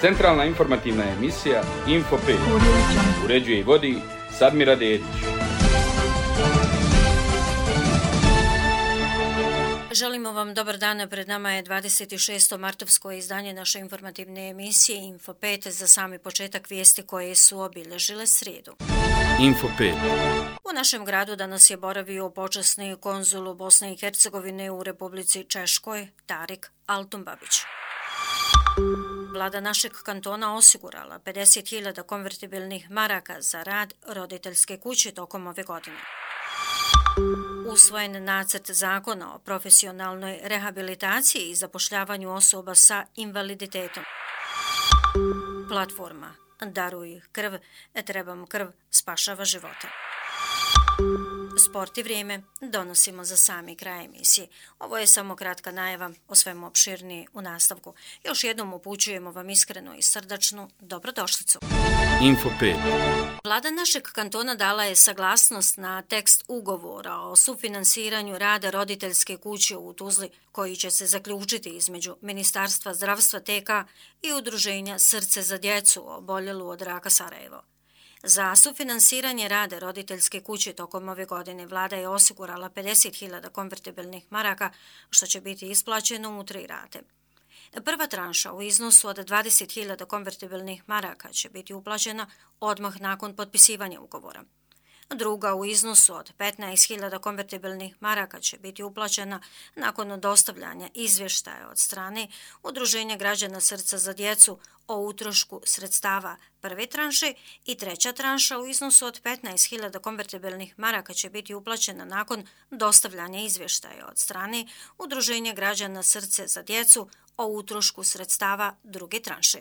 Centralna informativna emisija Info 5. Uređuje i vodi Sadmira Dedić. Želimo vam dobar dan, pred nama je 26. martovsko izdanje naše informativne emisije Info 5 za sami početak vijesti koje su obilježile srijedu. Info 5. U našem gradu danas je boravio počasni konzul Bosne i Hercegovine u Republici Češkoj, Tarik Altumbabić. Vlada našeg kantona osigurala 50.000 konvertibilnih maraka za rad roditeljske kuće tokom ove godine. Usvojen nacrt zakona o profesionalnoj rehabilitaciji i zapošljavanju osoba sa invaliditetom. Platforma Daruj krv, trebam krv, spašava živote. Sport i vrijeme donosimo za sami kraj emisije. Ovo je samo kratka najava, o svemu opširniji u nastavku. Još jednom upućujemo vam iskrenu i srdačnu dobrodošlicu. Info 5. Vlada našeg kantona dala je saglasnost na tekst ugovora o sufinansiranju rada roditeljske kuće u Tuzli, koji će se zaključiti između Ministarstva zdravstva TK i Udruženja Srce za djecu oboljelu od raka Sarajevo. Za sufinansiranje rada roditeljske kuće tokom ove godine vlada je osigurala 50.000 konvertibilnih maraka, što će biti isplaćeno u 3 rate. Prva tranša u iznosu od 20.000 konvertibilnih maraka će biti uplaćena odmah nakon potpisivanja ugovora. Druga u iznosu od 15.000 konvertibilnih maraka će biti uplaćena nakon dostavljanja izvještaja od strane Udruženja građana Srca za djecu o utrošku sredstava prve tranše i treća tranša u iznosu od 15.000 konvertibilnih maraka će biti uplaćena nakon dostavljanja izvještaja od strane Udruženja građana Srce za djecu o utrošku sredstava druge tranše.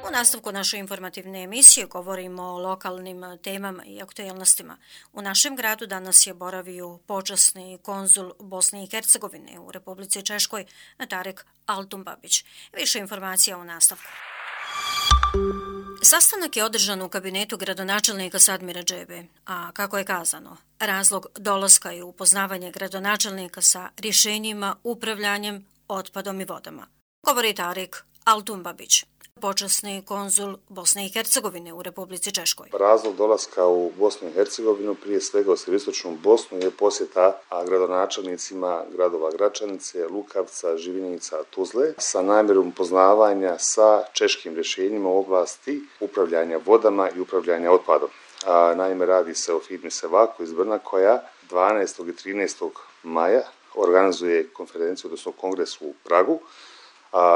U nastavku naše informativne emisije govorimo o lokalnim temama i aktualnostima. U našem gradu danas je boravio počasni konzul Bosne i Hercegovine u Republici Češkoj, Tarik Altumbabić. Više informacija u nastavku. Sastanak je održan u kabinetu gradonačelnika Sadmira Džebe, a kako je kazano, razlog dolaska je upoznavanje gradonačelnika sa rješenjima upravljanjem otpadom i vodama. Govori Tarik Altumbabić, počasni konzul Bosne i Hercegovine u Republici Češkoj. Razlog dolaska u Bosnu i Hercegovinu, prije svega u sjeveroistočnu Bosnu, je posjeta gradonačelnicima gradova Gračanice, Lukavca, Živinica, Tuzle sa namjerom upoznavanja sa češkim rješenjima u oblasti upravljanja vodama i upravljanja otpadom. Naime, radi se o firmi Sevako iz Brna koja 12. i 13. maja organizuje konferenciju, odnosno kongres u Pragu,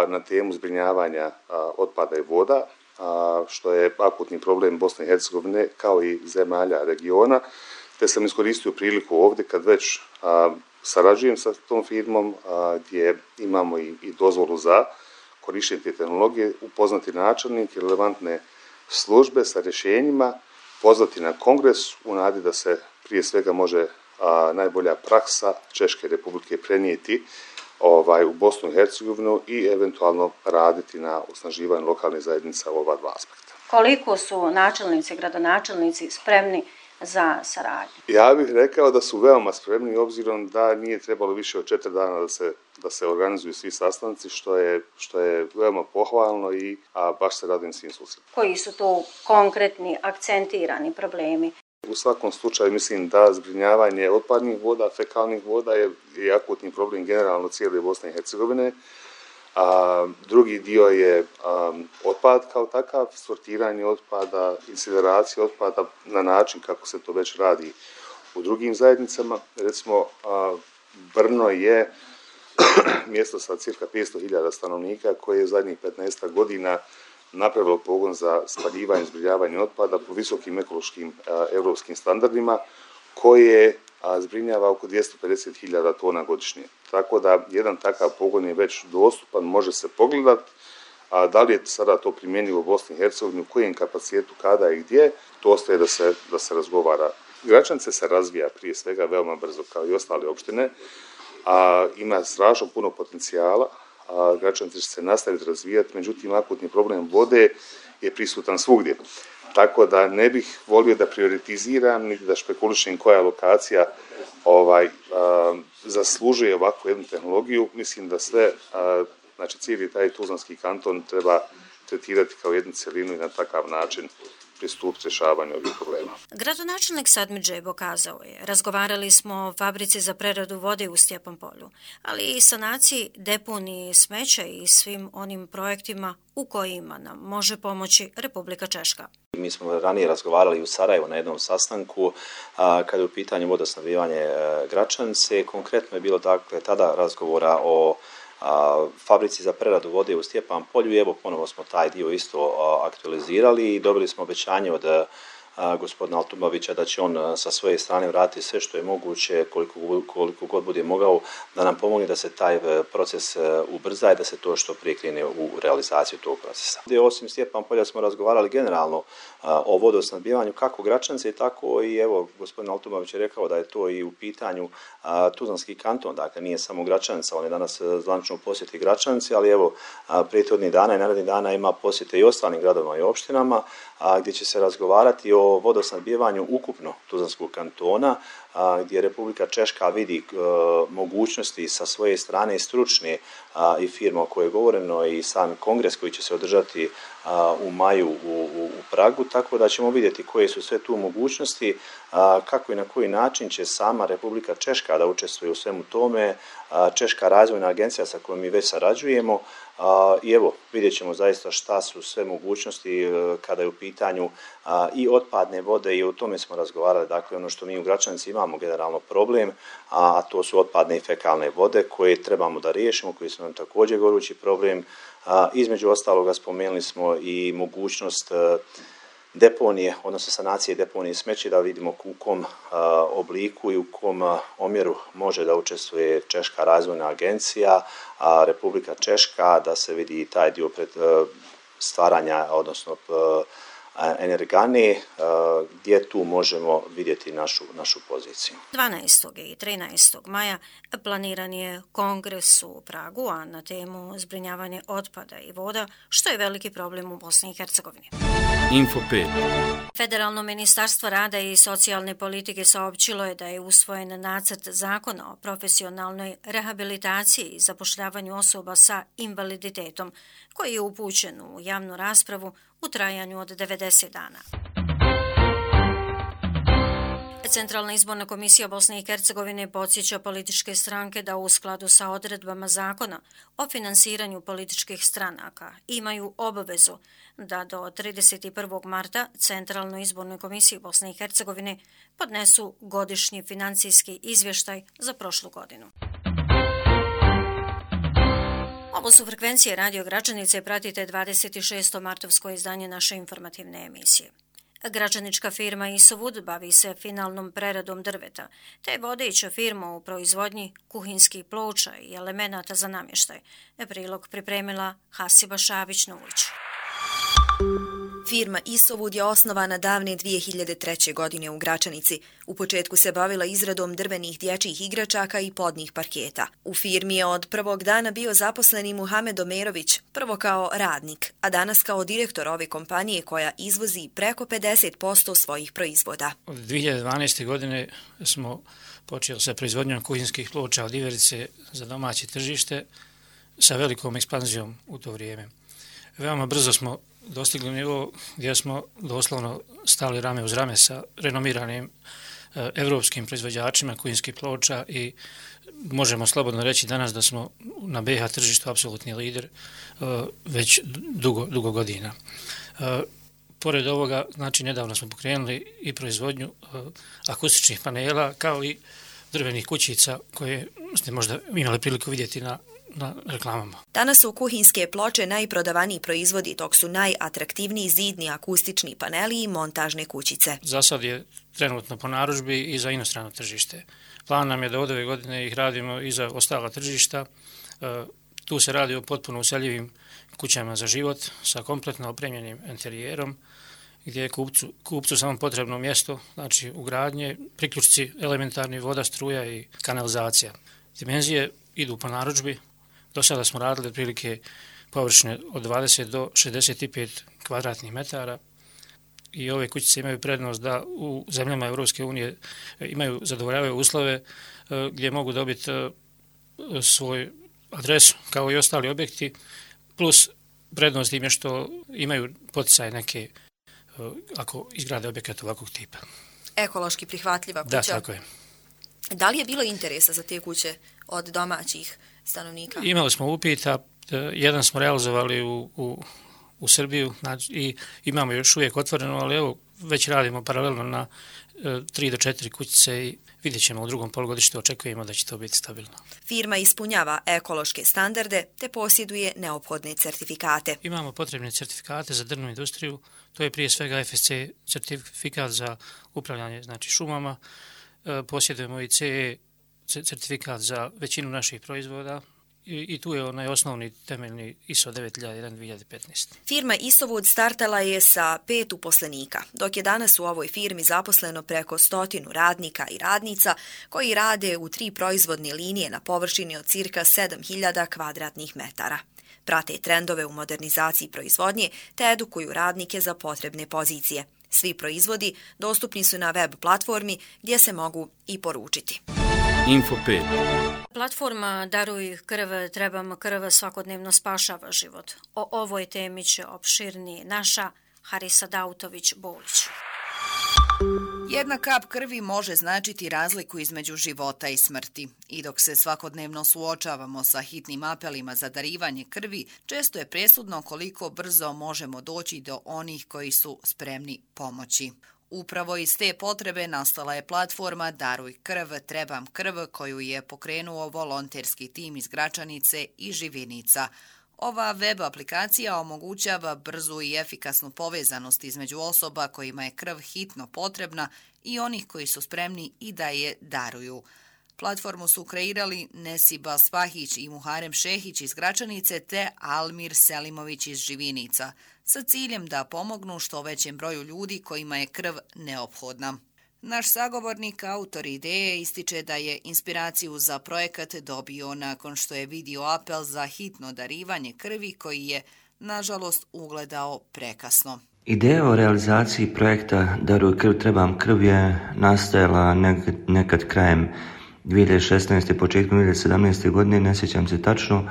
na temu zbrinjavanja otpada i voda, što je akutni problem Bosne i Hercegovine kao i zemalja regiona, te sam iskoristio priliku ovdje kad već sarađujem sa tom firmom gdje imamo i dozvolu za korištenje te tehnologije, upoznati načelnike, relevantne službe sa rješenjima, pozvati na kongres u nadi da se prije svega može najbolja praksa Češke republike prenijeti u Bosnu i Hercegovinu i eventualno raditi na osnaživanju lokalnih zajednica u ova dva aspekta. Koliko su načelnici, gradonačelnici spremni za saradnju? Ja bih rekao da su veoma spremni, obzirom da nije trebalo više od 4 dana da se organizuju svi sastanci, što je veoma pohvalno i baš se radujem svim susretima. Koji su to konkretni, akcentirani problemi? U svakom slučaju mislim da zbrinjavanje otpadnih voda, fekalnih voda je akutni problem generalno cijele Bosne i Hercegovine. Drugi dio je otpad kao takav, sortiranje otpada, incineracija otpada na način kako se to već radi u drugim zajednicama. Recimo, Brno je mjesto sa cirka 500.000 stanovnika koje je zadnjih 15 godina napravilo pogon za spaljivanje i zbrinjavanje otpada po visokim ekološkim europskim standardima koje zbrinjava oko 250.000 tona godišnje. Tako da jedan takav pogon je već dostupan, može se pogledati. Da li je sada to primjenjivo u Bosni i Hercegovini, u kojem kapacitetu, kada i gdje, to ostaje da se razgovara. Gračanice se razvija prije svega veoma brzo kao i ostale opštine, ima strašno puno potencijala. Gračanice će se nastaviti razvijati, međutim akutni problem vode je prisutan svugdje. Tako da ne bih volio da prioritiziram niti da špekulišem koja lokacija zaslužuje ovakvu jednu tehnologiju. Mislim da sve Znači cijeli taj tuzlanski kanton treba tretirati kao jednu cjelinu i na takav način pristupiti rješavanju ovih problema. Gradonačelnik Sadmir Džebo kazao je: razgovarali smo o fabrici za preradu vode u Stjepan Polju, ali i sanaciji deponije smeća i svim onim projektima u kojima nam može pomoći Republika Češka. Mi smo ranije razgovarali u Sarajevu na jednom sastanku kada je u pitanju vodosnabdijevanje Gračanice. Konkretno je bilo dakle tada razgovora o fabrici za preradu vode u Stjepan Polju i evo ponovo smo taj dio isto aktualizirali i dobili smo obećanje od gospodina Altumovića da će on sa svoje strane vratiti sve što je moguće, koliko god bude mogao, da nam pomogne da se taj proces ubrza i da se to što prije krene u realizaciju tog procesa. Osim Stjepan Polja smo razgovarali generalno o vodosnabdijevanju kako Gračanice, tako i evo gospodin Altumović je rekao da je to i u pitanju Tuzlanski kanton, dakle nije samo Gračanica, on je danas zvanično u posjeti Gračanici, ali evo prethodnih dana i narednih dana ima posjete i ostalim gradovima i opštinama gdje će se razgovarati o vodosnabdijevanju ukupno Tuzlanskog kantona, gdje Republika Češka vidi mogućnosti sa svoje strane stručne i firme o kojoj je govoreno i sam kongres koji će se održati u maju u Pragu, tako da ćemo vidjeti koje su sve tu mogućnosti, kako i na koji način će sama Republika Češka da učestvuje u svemu tome, Češka razvojna agencija sa kojom mi već sarađujemo i evo vidjet ćemo zaista šta su sve mogućnosti kada je u pitanju i otpadne vode i o tome smo razgovarali, dakle ono što mi u Gračanici imamo generalno problem, a to su otpadne i fekalne vode koje trebamo da riješimo, koji su nam također gorući problem. Između ostaloga spomenuli smo i mogućnost deponije, odnosno sanacije deponije smeća, da vidimo u kom obliku i u kom omjeru može da učestvuje Češka razvojna agencija, a Republika Češka, da se vidi taj dio stvaranja, odnosno energane, gdje tu možemo vidjeti našu poziciju. 12. i 13. maja planiran je kongres u Pragu, a na temu zbrinjavanje otpada i voda, što je veliki problem u Bosni i Hercegovini. Info 5. Federalno ministarstvo rada i socijalne politike saopćilo je da je usvojen nacrt zakona o profesionalnoj rehabilitaciji i zapošljavanju osoba sa invaliditetom, koji je upućen u javnu raspravu u trajanju od 90 dana. Centralna izborna komisija Bosne i Hercegovine podsjeća političke stranke da u skladu sa odredbama zakona o finansiranju političkih stranaka imaju obavezu da do 31. marta Centralnoj izbornoj komisiji Bosne i Hercegovine podnesu godišnji financijski izvještaj za prošlu godinu. Ovo su frekvencije Radio Gračanice, pratite 26. martovsko izdanje naše informativne emisije. Gračanička firma Isovud bavi se finalnom preradom drveta, te je vodeća firma u proizvodnji kuhinskih ploča i elemenata za namještaj. Prilog pripremila Hasiba Šabić-Nulić. Firma Isovud je osnovana davne 2003. godine u Gračanici. U početku se bavila izradom drvenih dječjih igračaka i podnih parketa. U firmi je od prvog dana bio zaposleni Muhamed Omerović, prvo kao radnik, a danas kao direktor ove kompanije koja izvozi preko 50% svojih proizvoda. Od 2012. godine smo počeli sa proizvodnjom kuhinskih ploča od iverice za domaće tržište sa velikom ekspanzijom u to vrijeme. Veoma brzo smo dostigli nivo gdje smo doslovno stali rame uz rame sa renomiranim evropskim proizvođačima kuhinskih ploča i možemo slobodno reći danas da smo na BiH tržištu apsolutni lider već dugo godina. Pored ovoga, znači nedavno smo pokrenuli i proizvodnju akustičnih panela kao i drvenih kućica koje ste možda imali priliku vidjeti na reklamama. Danas su kuhinske ploče najprodavaniji proizvodi, dok su najatraktivniji zidni akustični paneli i montažne kućice. Za sad je trenutno po narudžbi i za inostrano tržište. Plan nam je da od ove godine ih radimo i za ostala tržišta. Tu se radi o potpuno useljivim kućama za život sa kompletno opremljenim interijerom, gdje je kupcu samo potrebno mjesto, znači ugradnje, priključci elementarni, voda, struja i kanalizacija. Dimenzije idu po narudžbi. Do sada smo radili otprilike površine od 20 do 65 kvadratnih metara i ove kućice imaju prednost da u zemljama Europske unije imaju zadovoljavaju uslove gdje mogu dobiti svoj adresu kao i ostali objekti, plus prednost im je što imaju poticaje neke ako izgrade objekat ovakvog tipa. Ekološki prihvatljiva kuća. Da, tako je. Da li je bilo interesa za te kuće od domaćih stanovnika? Imali smo upita, jedan smo realizovali u Srbiju i imamo još uvijek otvoreno, ali evo već radimo paralelno na 3 do 4 kućice i vidjet ćemo u drugom polugodištu, očekujemo da će to biti stabilno. Firma ispunjava ekološke standarde te posjeduje neophodne certifikate. Imamo potrebne certifikate za drvnu industriju, to je prije svega FSC certifikat za upravljanje šumama, posjedujemo i CE certifikat za većinu naših proizvoda i tu je onaj osnovni temeljni ISO 9001-2015. Firma Isovod startala je sa 5 uposlenika, dok je danas u ovoj firmi zaposleno preko 100 radnika i radnica koji rade u 3 proizvodne linije na površini od cirka 7000 kvadratnih metara. Prate trendove u modernizaciji proizvodnje te edukuju radnike za potrebne pozicije. Svi proizvodi dostupni su na web platformi gdje se mogu i poručiti. Info 5. Platforma Daruj krv, trebam krv svakodnevno spašava život. O ovoj temi će opširnije naša Harisa Dautović-Bolić. Jedna kap krvi može značiti razliku između života i smrti. I dok se svakodnevno suočavamo sa hitnim apelima za darivanje krvi, često je presudno koliko brzo možemo doći do onih koji su spremni pomoći. Upravo iz te potrebe nastala je platforma Daruj krv, trebam krv koju je pokrenuo volonterski tim iz Gračanice i Živinica. Ova web aplikacija omogućava brzu i efikasnu povezanost između osoba kojima je krv hitno potrebna i onih koji su spremni i da je daruju. Platformu su kreirali Nesiba Spahić i Muharem Šehić iz Gračanice te Almir Selimović iz Živinica, sa ciljem da pomognu što većem broju ljudi kojima je krv neophodna. Naš sagovornik, autor ideje, ističe da je inspiraciju za projekat dobio nakon što je vidio apel za hitno darivanje krvi koji je, nažalost, ugledao prekasno. Ideja o realizaciji projekta Daruj krv, trebam krv je nastajala nekad krajem 2016. početkom 2017. godine, ne sjećam se tačno,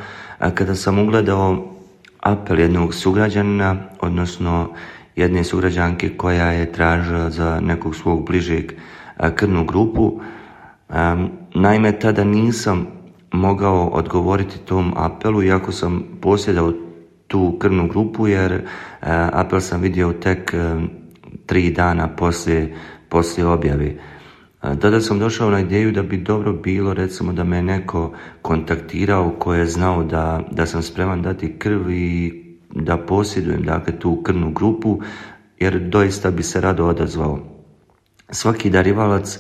kada sam ugledao apel jednog sugrađanina, odnosno jedne sugrađanke koja je tražila za nekog svog bližeg krvnu grupu. Naime, tada nisam mogao odgovoriti tom apelu, iako sam posjedao tu krvnu grupu, jer apel sam vidio tek 3 dana poslije objave. Tada sam došao na ideju da bi dobro bilo, recimo, da me neko kontaktirao ko je znao da sam spreman dati krv i da posjedujem, dakle, tu krvnu grupu, jer doista bi se rado odazvao. Svaki darivalac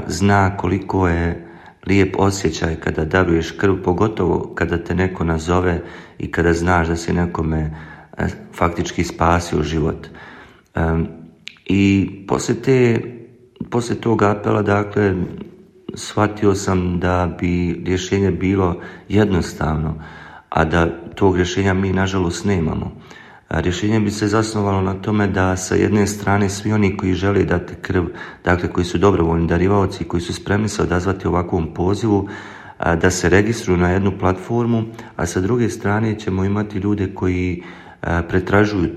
zna koliko je lijep osjećaj kada daruješ krv, pogotovo kada te neko nazove i kada znaš da si nekome faktički spasio život. I poslije tog apela, dakle, shvatio sam da bi rješenje bilo jednostavno, a da tog rješenja mi nažalost nemamo. Rješenje bi se zasnovalo na tome da sa jedne strane svi oni koji žele dati krv, dakle koji su dobrovoljni darivaoci, koji su spremni se odazvati ovakvom pozivu, da se registruju na jednu platformu, a sa druge strane ćemo imati ljude koji pretražuju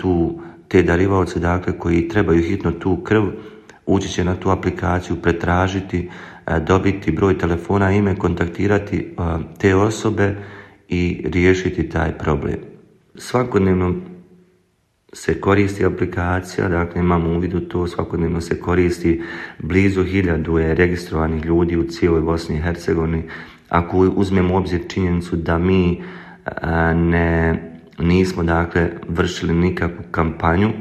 te darivaoce, dakle koji trebaju hitno tu krv, ući će na tu aplikaciju, pretražiti, dobiti broj telefona, ime, kontaktirati te osobe i riješiti taj problem. Svakodnevno se koristi aplikacija, dakle imamo uvid u to, svakodnevno se koristi, blizu 1000 je registrovanih ljudi u cijeloj Bosni i Hercegovini. Ako uzmemo u obzir činjenicu da mi nismo, dakle, vršili nikakvu kampanju,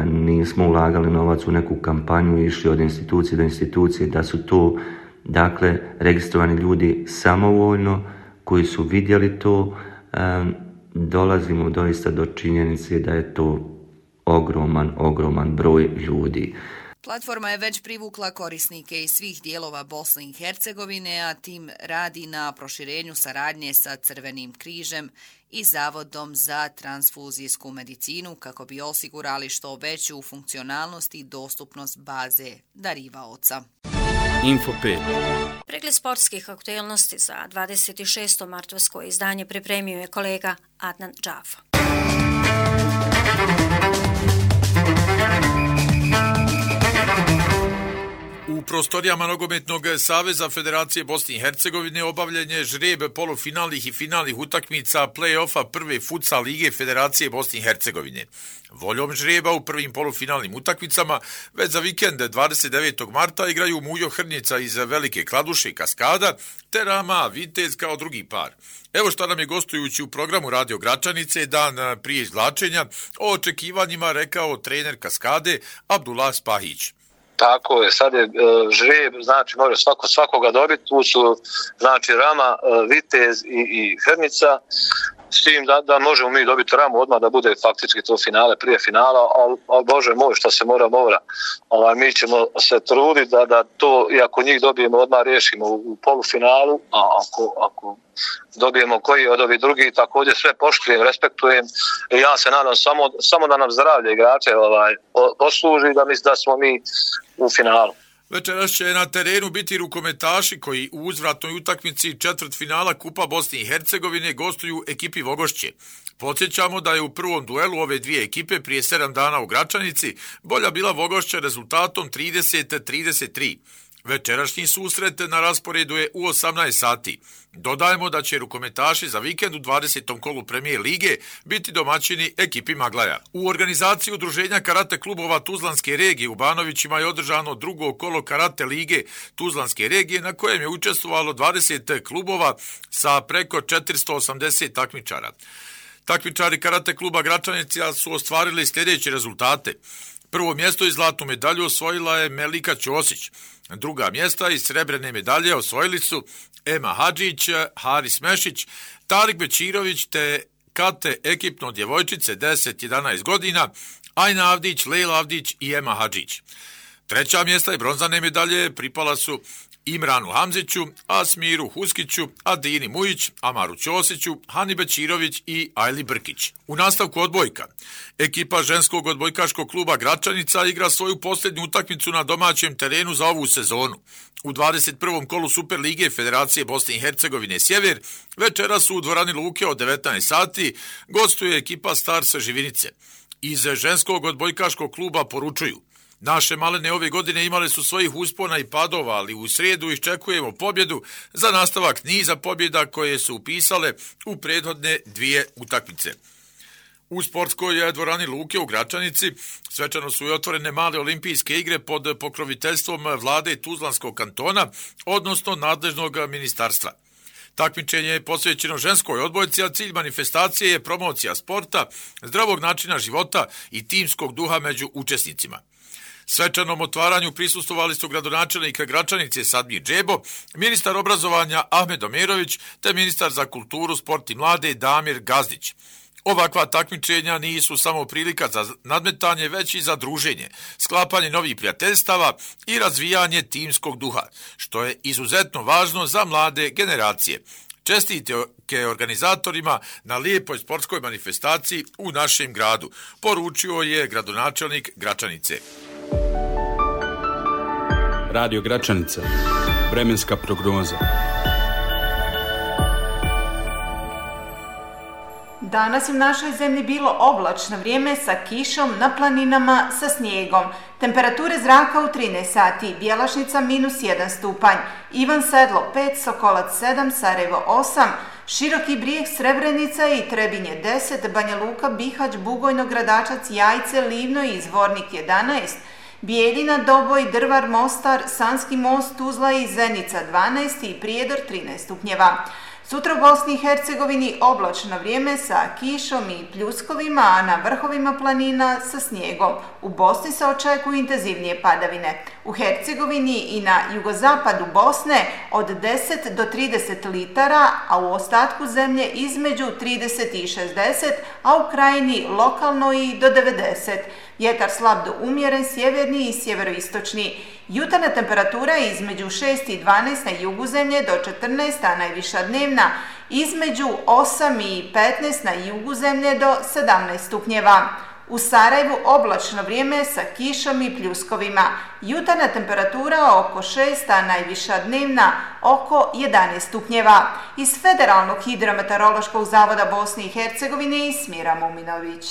nismo ulagali novac u neku kampanju i išli od institucije do institucije, da su to, dakle, registrovani ljudi samovoljno koji su vidjeli to, dolazimo doista do činjenice da je to ogroman broj ljudi. Platforma je već privukla korisnike iz svih dijelova Bosne i Hercegovine, a tim radi na proširenju saradnje sa Crvenim križem i Zavodom za transfuzijsku medicinu kako bi osigurali što veću funkcionalnost i dostupnost baze darivaoca. Info 5. Pregled sportskih aktualnosti za 26. martovsko izdanje pripremio je kolega Adnan Džafa. U prostorijama Nogometnog saveza Federacije Bosne i Hercegovine obavljen je žreb polufinalnih i finalnih utakmica play-offa prve futsal lige Federacije Bosne i Hercegovine. Voljom žreba u prvim polufinalnim utakmicama već za vikend 29. marta igraju Mujo Hrnjica iz Velike Kladuše i Kaskada te Rama Vitez kao drugi par. Evo šta nam je gostujući u programu Radio Gračanice dan prije izvlačenja o očekivanjima rekao trener Kaskade Abdullah Spahić. Tako je, sad je žreb, znači može svakoga dobiti, tu su znači Rama, Vitez i Hrnica, s tim da možemo mi dobiti Ramu odmah da bude faktički to finale prije finala, ali Bože moj šta se mora. Mi ćemo se truditi da to, i ako njih dobijemo odmah riješimo u polufinalu, a ako dobijemo koji od ovih drugih, također sve poštujem, respektujem i ja se nadam samo da nam zdravlje igrače posluži, da smo mi u finalu. Večeras će na terenu biti rukometaši koji u uzvratnoj utakmici četvrtfinala Kupa Bosne i Hercegovine gostuju ekipi Vogošće. Podsjećamo da je u prvom duelu ove dvije ekipe prije 7 dana u Gračanici bolja bila Vogošća rezultatom 30-33. Večerašnji susret na rasporedu je u 18 sati. Dodajemo da će rukometaši za vikend u 20. kolu Premijer lige biti domaćini ekipi Maglaja. U organizaciji Udruženja karate klubova Tuzlanske regije u Banovićima je održano drugo kolo karate lige Tuzlanske regije na kojem je učestvovalo 20 klubova sa preko 480 takmičara. Takmičari karate kluba Gračanica su ostvarili sljedeće rezultate. Prvo mjesto i zlatnu medalju osvojila je Melika Ćosić. Druga mjesta i srebrene medalje osvojili su Ema Hadžić, Haris Mešić, Tarik Bečirović te kate ekipno djevojčice 10-11 godina, Ajna Avdić, Lejla Avdić i Ema Hadžić. Treća mjesta i bronzane medalje pripala su Imranu Hamziću, Asmiru Huskiću, Adini Mujić, Amaru Ćosiću, Hani Bečirović i Ajli Brkić. U nastavku odbojka. Ekipa ženskog odbojkaškog kluba Gračanica igra svoju posljednju utakmicu na domaćem terenu za ovu sezonu. U 21. kolu Super lige Federacije Bosne i Hercegovine Sjever večera su u dvorani Luke od 19 sati gostuje ekipa Stars Živinice. Iz ženskog odbojkaškog kluba poručuju: naše malene ove godine imale su svojih uspona i padova, ali u srijedu iščekujemo pobjedu za nastavak niza pobjeda koje su upisale u prethodne dvije utakmice. U sportskoj dvorani Luke u Gračanici svečano su i otvorene male olimpijske igre pod pokroviteljstvom vlade Tuzlanskog kantona, odnosno nadležnog ministarstva. Takmičenje je posvećeno ženskoj odbojci, a cilj manifestacije je promocija sporta, zdravog načina života i timskog duha među učesnicima. Svečanom otvaranju prisustvovali su gradonačelnik Gračanice Sadmir Džebo, ministar obrazovanja Ahmed Omerović te ministar za kulturu, sport i mlade Damir Gazdić. Ovakva takmičenja nisu samo prilika za nadmetanje, već i za druženje, sklapanje novih prijateljstava i razvijanje timskog duha, što je izuzetno važno za mlade generacije. Čestitke organizatorima na lijepoj sportskoj manifestaciji u našem gradu, poručio je gradonačelnik Gračanice. Radio Gračanica. Vremenska prognoza. Danas je u našoj zemlji bilo oblačno vrijeme sa kišom, na planinama sa snijegom. Temperature zraka u 13 sati, Bjelašnica -1 stupanj, Ivan Sedlo 5, Sokolac 7, Sarajevo 8, Široki Brijeg, Srebrenica i Trebinje 10, Banja Luka, Bihać, Bugojno, Gradačac, Jajce, Livno i Zvornik 11, Bijeljina, Doboj, Drvar, Mostar, Sanski Most, Tuzla i Zenica 12 i Prijedor 13 stupnjeva. Sutra u Bosni i Hercegovini oblačno vrijeme sa kišom i pljuskovima, a na vrhovima planina sa snijegom. U Bosni se očekuju intenzivnije padavine. U Hercegovini i na jugozapadu Bosne od 10 do 30 litara, a u ostatku zemlje između 30 i 60, a u krajini lokalno i do 90. Vjetar slab do umjeren, sjeverni i sjeveroistočni. Jutarnja temperatura je između 6 i 12 na jugu zemlje do 14, a najviša dnevna između 8 i 15 na jugu zemlje do 17 stupnjeva. U Sarajevu oblačno vrijeme sa kišom i pljuskovima. Jutarnja temperatura oko 6, a najviša dnevna oko 11 stupnjeva. Iz Federalnog hidrometeorološkog zavoda Bosne i Hercegovine Smira Muminović.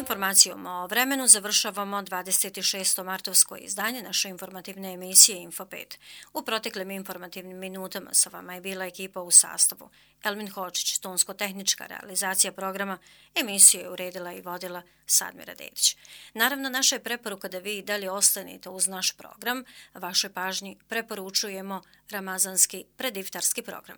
Informacijom o vremenu završavamo 26. martovsko izdanje naše informativne emisije Info 5. U proteklim informativnim minutama sa vama je bila ekipa u sastavu. Elmin Hočić, tonsko-tehnička realizacija programa, emisiju je uredila i vodila Sadmira Dedić. Naravno, naša je preporuka da vi dalje ostanete uz naš program. Vašoj pažnji preporučujemo ramazanski prediftarski program.